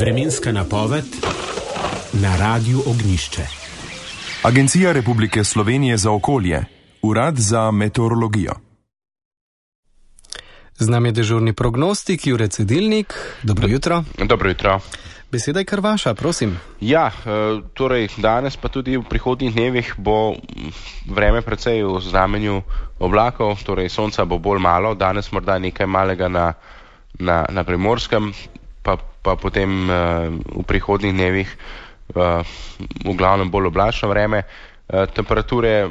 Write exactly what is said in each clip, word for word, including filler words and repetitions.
Vremenska napoved na Radiu Ognjišče. Agencija Republike Slovenije za okolje, Urad za meteorologijo. Z nami je dežurni prognostik Jure Cedilnik. Dobro jutro. Dobro jutro. Beseda je kar vaša, prosim. Ja, torej danes pa tudi v prihodnjih dnevih bo vreme precej v znamenju oblakov, torej sonca bo bolj malo, danes morda nekaj malega na, na, na Primorskem, pa, pa potem v prihodnjih dnevih v glavnem bolj oblačno vreme. Temperature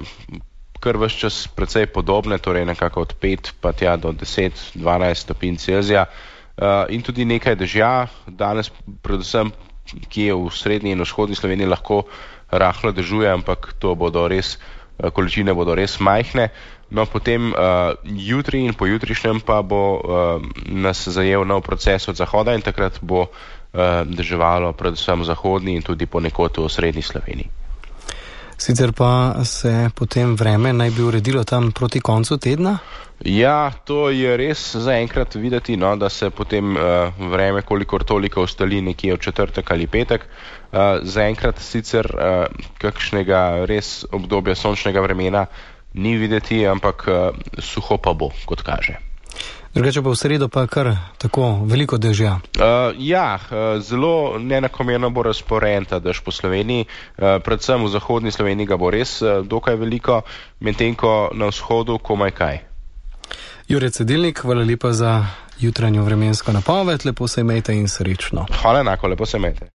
kar ves čas precej podobne, torej nekako od pet pa tja do deset do dvanajst stopinj Celzija. Uh, in tudi nekaj dežja, danes predvsem, ki je v srednji in vzhodni Sloveniji lahko rahlo dežuje, ampak to bodo res, količine bodo res majhne. No, potem uh, jutri in pojutrišnjem pa bo uh, nas zajel nov proces od zahoda in takrat bo uh, deževalo predvsem v zahodni in tudi ponekod v srednji Sloveniji. Sicer pa se potem vreme naj bi uredilo tam proti koncu tedna? Ja, to je res zaenkrat videti, no, da se potem uh, vreme kolikor toliko ostali nekje v četrtek ali petek. Uh, zaenkrat sicer uh, kakšnega res obdobja sončnega vremena ni videti, ampak uh, suho pa bo, kot kaže. Drugače pa v sredo pa kar tako veliko dežja. Uh, ja, uh, zelo neenakomerno bo razporejen ta dež po Sloveniji, uh, predvsem v zahodni Sloveniji ga bo res uh, dokaj veliko, medtem ko na vzhodu komaj kaj. Jure Cedilnik, hvala lepa za jutranjo vremensko napoved, lepo se imejte in srečno. Hvala enako, lepo se imejte.